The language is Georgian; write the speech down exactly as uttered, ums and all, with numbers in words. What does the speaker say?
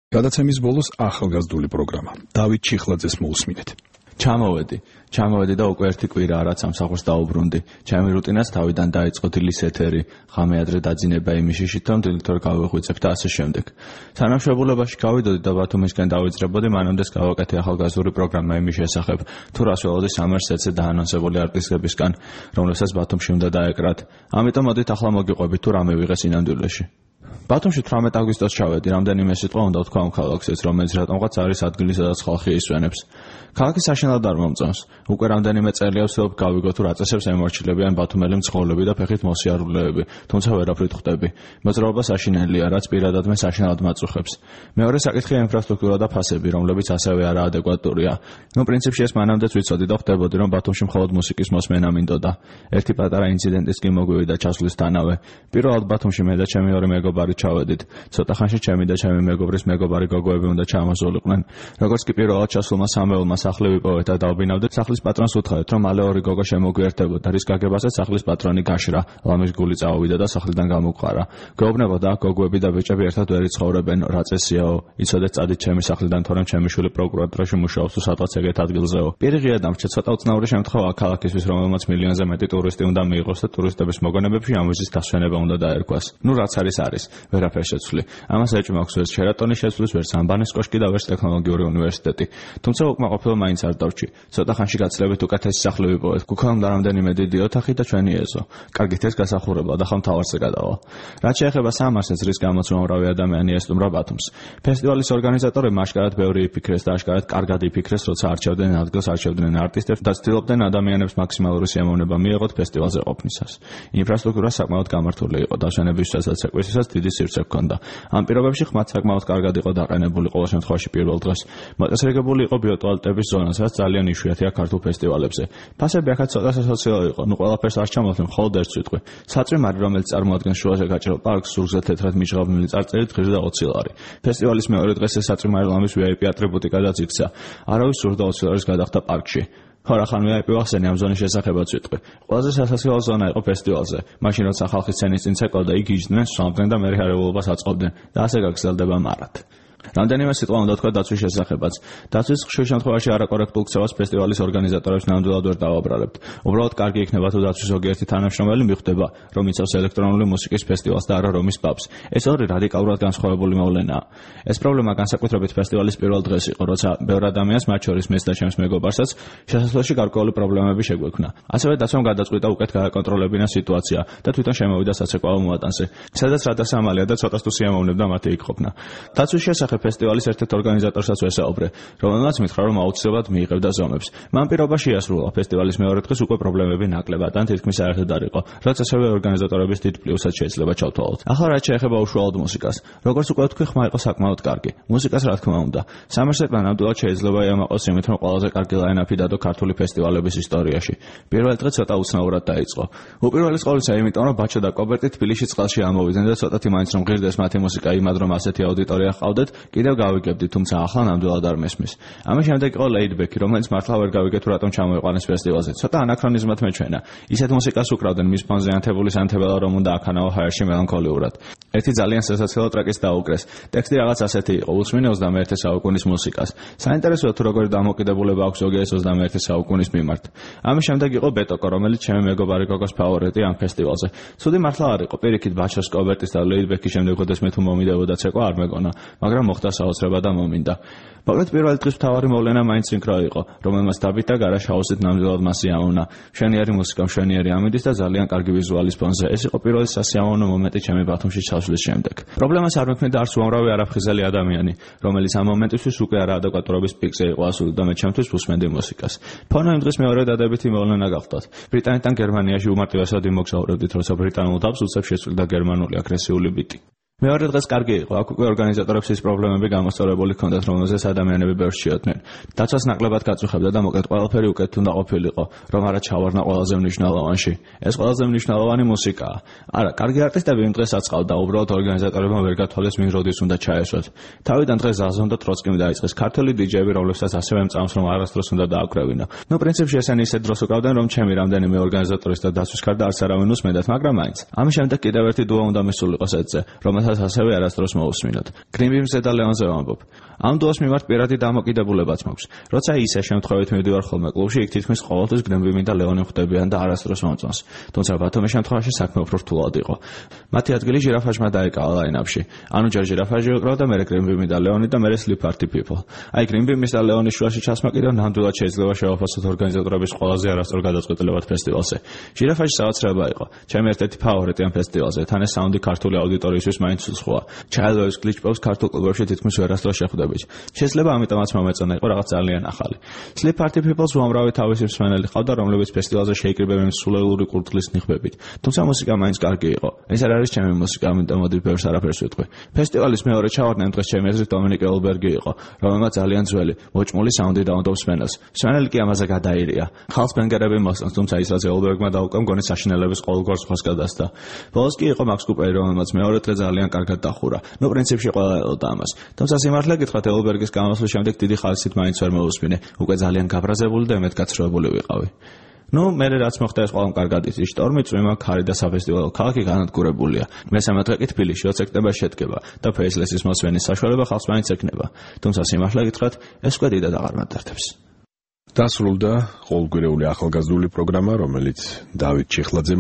გადაცემის ბოლოს ახალგაზრდული პროგრამა. დავით ჩიხლაძეს მოусმინეთ. ჩამოვედი, ჩამოვედი და უკვე ერთი კვირაა რაც სამსახურს დაუბრუნდი. ჩემი რუტინაც თავიდან დაიწყო დილის ეთერი, ღამე ადრე დაძინება იმის შიშით, რომ დილით ორ გავეღვიძებ და ასე შემდეგ. სანამ შეებულებაში გავიდოდი და ბათუმისკენ დავიძრებოდი, მანამდეც გავაკეთე ახალგაზრდული პროგრამა იმის შესახებ, თუ რას ველოდი სამერსეთზე დაანონსებული არტისტებისგან, რომლებსაც ბათუმში უნდა დაეკრათ. ამიტომ მოდით ახლა მოგიყვებით თუ რამე ვიღეს ინამდვილეში. ბათუმში თვრამეტ აგვისტოს ჩავედი, რამდენიმე სიტყვა უნდა ვთქვა ამ ქალაქზეც, რომელიც რატომღაც არის ადგილი, სადაც ხალხი ისვენებს. ქალაქი საშინლად არ მომწონს. უკვე რამდენიმე წელია ვცდილობ გავიგო თუ რა წესებს ემორჩილებიან ბათუმელი მძღოლები და ფეხით მოსიარულეები, თუმცა ვერაფრით ხვდები. მოძრაობა საშინელია, რაც პირადად მე საშინლად მაწუხებს. მეორე საკითხია ინფრასტრუქტურა და ფასები, რომლებიც ასევე არაადეკვატურია. ნუ პრინციპში ეს მანამდეც ვიცოდი და ხვდებოდი, რომ ბათუმში მხოლოდ მუსიკის მოსმენა მინდოდა. ერთი პატარა ინციდენტის კი მოგვივიდა ჩასვლისთანავე. პირველად ბათუმში მე და ჩემი ორი მეგობარი ჩავედით. ცოტა ხანში ჩემი და ჩემი მეგობრის მეგობარი გოგოები უნდა ჩამოსულიყვნენ. როგორც კი პირველად ჩასულმა სამეულმა სახლი ვიპოვეთ და დავბინავდით, სახლის პატრონს უთხოვეთ, რომ მალე ორი გოგო შემოგვიერთებოდა, რის გაგებასაც სახლის პატრონი გაშრა, ლამის გული წავიდა და სახლიდან გამოგვყარა. გვეუბნებოდა, გოგოები და ბიჭები ერთად ვერ იცხოვრებენ, რა წესიაო, იცოდეთ წადით ჩემი სახლიდან, თორემ ჩემი შვილი პროკურატურაში მუშაობს თუ სადღაც ეგეთ ადგილზეო. პირიღია დამრჩა ცოტა უცნაური შემთხვევაა ქალაქისთვის, რომელმაც მილიონზე მეტი ტურისტი უნდა მიიღოს და ტურისტების მოგონებებში ამოზის დასვენება უნდა დაერქვას. ნუ რაც არის არის, ვერაფერ შეცვლი. ამას ეჭვი მაქვს ვერც შერატონის შეცვლის, ვერც ამბანის კოშკი და ვერც ტექნოლოგიური უნივერსიტეტი. თუმცა უკმაყოფილო მაინც არ დავჭი. ცოტა ხანში გაცილებით უკეთესი სახლი ვიპოვეთ. გვქონდა რამდენიმე დიდი ოთახი და ჩვენი ეზო. კარგით ეს გასახურებაა და ხომ თავარზე გადავალ. რაც შეეხება სამარსებს, რის გამოც უამრავი ადამიანი ესტუმრა ბათუმს. ფესტივალის ორგანიზატორებმა აშკარად ბევრი იფიქრეს და აშკარად კარგად იფიქრეს, როცა არჩევდნენ ადგილს, არჩევდნენ არტისტებს და ცდილობდნენ ადამიანებს მაქსიმალური სიამოვნება მიეღოთ ფესტივალზე ყოფნისას. ინფრასტრუქტურა საკმაოდ გამართული იყო, დასვენებისთვისაც და საკვირისთვისაც დიდი სივრცე ჰქონდა. ამ პირობებში ხმაც საკმაოდ კარგად იყო დაყენებული ყოველ შემთხვევაში პირველ დღეს. მოწესრიგებული იყო ბიოტუალეტების ზონა, სადაც ძალიან იშვიათია ქართულ ფესტივალებზე. ფასები აქაც ცოტა სასოციო იყო, ნუ ყველაფერს არ ჩამოვთვლი, მხოლოდ ერთ სიტყვი. საწვიმარი, რომელიც წარმოადგენს შუაზე გაჭრილ პარკს, ზურგზე თეთრად მიჟღავნილი წარწერით ღირს და ოცი ლარი. ფესტივალის მეორე დღეს ეს საწვიმარი ლამის ვი აი პი ატრიბუტიკადაც იქცა. არავის ზურგ და ოცი ლარის გადახდა პარკში. ხორახან ვი აი პი ვახსენე ამ ზონის შესახებაც ვიტყვი. ყველაზე სასაცილო ზონა იყო ფესტივალზე. მაშინ როცა ხალხი სცენის წინ ცეკვავდა, იქ იჯდნენ, სვამდნენ და მე რეალობას აწყობდნენ და ასე გაგრძელდება მარად. რამდენიმე სიტყვა უნდა თქვა დაცვის შესახებაც. დაცვის ხშირ შემთხვევაში არაკორექტულ ქცევას ფესტივალის ორგანიზატორებს ნამდვილად ვერ დავაბრალებთ. უბრალოდ კარგი იქნება თუ დაცვის ზოგიერთი თანამშრომელი მიხვდება, რომ იცავს ელექტრონული მუსიკის ფესტივალს და არა რომის პაბს. ეს ორი რადიკალურად განსხვავებული მოვლენაა. ეს პრობლემა განსაკუთრებით ფესტივალის პირველ დღეს იყო, როცა ბევრ ადამიანს, მათ შორის მეც და ჩემს მეგობარსაც, შესასვლელში გარკვეული პრობლემები შეგვექმნა. ასევე დაცვამ გადაწყვიტა უკეთ გააკონტროლებინა სიტუაცია და თვითონ შემოვიდა საცეკვაო მოატანზე, სადაც რადასამალია და ცოტას თუ სიამოვნებდა მათი იქ ყოფნა. დაცვის შესახებ ფესტივალის ერთ-ერთ ორგანიზატორსაც ვესაუბრე, რომელმაც მითხრა, რომ აუცილებლად მიიღებდა ზომებს. მან პირობაში იასრულა ფესტივალის მეორე დღეს უკვე პრობლემები ნაკლებად ან თითქმის საერთოდ არ იყო, რაც ასევე ორგანიზატორების დიდ პლუსად შეიძლება ჩავთვალოთ. ახლა რაც შეეხება უშუალოდ მუსიკას, როგორც უკვე ვთქვი, ხმა იყო საკმაოდ კარგი. მუსიკას რა თქმა უნდა. სამერსეთმა ნამდვილად შეიძლება იამაყოს იმით, რომ ყველაზე კარგი ლაინაპი დადო ქართული ფესტივალების ისტორიაში. პირველი დღე ცოტა უცნაურად დაიწყო. უპირველეს ყოვლისა, იმიტომ რომ ბაჩო და კობერტი თბილისში წყალში ამოვიდნენ და ცოტათი მაინც რომ ღირდეს მათი მუსიკა იმად, რომ ასეთი აუდიტორია ჰყავდეთ, კიდევ გავიგებდი, თუმცა ახლა ნამდვილად არ მესმის. ამის შემდეგ იყო ლეიდბექი, რომელიც მართლა ვერ გავიგე თუ რატომ ჩამოიყვანეს ფესტივალზე. ცოტა ანაქრონიზმად მეჩვენა. ისეთ მუსიკას უკრავდნენ მის ფონზე ანთებული სანთებელა, რომ უნდა აქანაო ჰაერში მელანქოლიურად. ერთი ძალიან სასაცილო ტრეკის დაუკრეს. ტექსტი რაღაც ასეთი იყო: უსმინე ოცდამეერთე საუკუნის მუსიკას. საინტერესოა თუ როგორი დამოკიდებულება აქვს ზოგიერთ ოცდამეერთე საუკუნის მიმართ. ამის შემდეგ იყო ბეტოკო, რომელიც ჩემი მეგობარი გოგოს ფავორიტი ამ ფესტივალზე. ცუდი მართლა არ იყო. პირიქით ბაჩოს, კობერტის და ლეიდბექის შემდეგ ხოდეს მე თუ მომიდევოდა ცეკვა არ მეგონა, მაგრამ მოხდა საოცრება და მომინდა. მაგრამ პირველი დღის მთავარი მოვლენა მაინც სინქრო იყო, რომელმაც დაბით და გარაშაოსით ნამდვილად მას იამოვნა. მშვენიერი მუსიკა, მშვენიერი ამინდის და ძალიან კარგი ვიზუალის ფონზე. ეს იყო პირველი სასიამოვნო მომენტი ჩემი ბათუმში ჩასვლის შემდეგ. პრობლემას არ მექმნიდა არც უამრავი არაფხიზელი ადამიანი, რომელიც ამ მომენტისთვის უკვე არაადეკვატურობის პიკზე იყო ასული და მე ჩემთვის უსმენდი მუსიკას. ფონო იმ დღეს მეორე დადებითი მოვლენა გახდათ. ბრიტანეთთან გერმანიაში უმარტივესად იმოგზაურებდით, როცა ბრიტანულ დაბს უცებ შეცვლიდა გერმანული აგრესიული ბიტი. მეორე დღეს კარგი იყო, აქ უკვე ორგანიზატორებს ის პრობლემები გამოსწორებული ჰქონდათ, რომელზეც ადამიანები ბევრს შეოდნენ. დაცვას ნაკლებად გაწუხებდა და მოკლედ ყველაფერი უკეთ უნდა ყოფილიყო, რომ არა ჩავარნა ყველაზე მნიშვნელოვანში. ეს ყველაზე მნიშვნელოვანი მუსიკაა. არა, კარგი არტისტები იმ დღეს აწყალდა, უბრალოდ ორგანიზატორებმა ვერ გათვალეს ვინ როდის უნდა ჩაესვათ. თავიდან დღეს ზაზონ და ტროცკიმ დაიწყეს ქართული დიჯეები, რომლებსაც ასევე მწამს, რომ არასდროს უნდა დააკრევინა. ნუ პრინციპში ესენი ისეთ დროს უკრავდნენ, რომ ჩემი რამდენიმე ორგანიზატორის და დაცვის გარდა არც არავინ უსმენდათ, მაგრამ მაინც. ამის შემდეგ კიდევ ერთი დუა უნდა მისულიყო სეტზე, რომელსაც რომელსაც ასევე არასდროს მოусმინოთ. გრინბიმზე და ლეონზე ვამბობ. ამ დუოს მიმართ პირადი დამოკიდებულებაც მაქვს. როცა ისე შემთხვევით მივდივარ ხოლმე კლუბში, იქ თითქმის ყოველთვის გრინბიმი და ლეონი ხვდებიან და არასდროს მომწონს. თუმცა ბათუმის შემთხვევაში საქმე უფრო რთულად იყო. მათი ადგილი ჟირაფაჟმა დაიკავა ლაინაპში. ანუ ჯერ ჟირაფაჟი ვიყრა და მერე გრინბიმი და ლეონი და მერე sleep party people. აი გრინბიმის და ლეონის შუაში ჩასმა კიდევ ნამდვილად შეიძლება შევაფასოთ ორგანიზატორების ყველაზე არასწორ გადაწყვეტილებად ფესტივალზე. ჟირაფაჟი საოცრება იყო. ჩემი ერთ-ერთი ფავორიტი ამ ფესტივალზე. თან ეს საუნდი ქართული აუდიტორიისთვის მაინც უცხოა. ჩაილოვის გლიჩპოს ქართულ კლუბებში თითქმის ვერასდროს შეხვდებით. შეიძლება ამიტომაც მომეწონა იყო რაღაც ძალიან ახალი. Sleep Party People-ს უამრავი თავისი მსმენელი ყავდა, რომლებიც ფესტივალზე შეიკრიბებენ სულელური კურდღლის ნიღბებით. თუმცა მუსიკა მაინც კარგი იყო. ეს არ არის ჩემი მუსიკა, ამიტომ მოდი ბევრს არაფერს ვიტყვი. ფესტივალის მეორე ჩავარდნამ დღეს ჩემი აზრით დომინიკ ელბერგი იყო, რომელმაც ძალიან ძველი, მოჭმული საუნდი დაუნდობს მსმენელს. მსმენელი კი ამაზე გადაირია. ხალხს ბენგერები მოსწონს, თუმცა ის რაც ელბერგმა დაუკრა მგონი საშინელების ყოველგვარ სხვას გადასცა. ბოლოს კი იყო მაქს კუპერი, რომელმაც მეორე დღე ძალიან კარგად დახურა. ნუ პრინციპში ყველა ელოდა ამას. თუმცა სიმართლე გითხრათ, ელბერგის გამოსვლის შემდეგ დიდი ხალხით მაინც ვერ მოусმინე. უკვე ძალიან გაბრაზებული და მეთქაცრუებული ვიყავი. ნუ მე რაც მოხდა ეს ყველამ კარგად იცის. შტორმი, წვიმა, ქარი და საფესტივალო ქალაქი განადგურებულია. მესამე დღე კი თბილისში ოცი სექტემბერს შედგება და ფეისლესის მოსვენის საშუალება ხალხს მაინც ექნება. თუმცა სიმართლე გითხრათ, ეს უკვე დიდად აღარ მატარდებს. დასრულდა ყოველკვირეული ახალგაზრდული პროგრამა, რომელიც დავით ჩიხლაძემ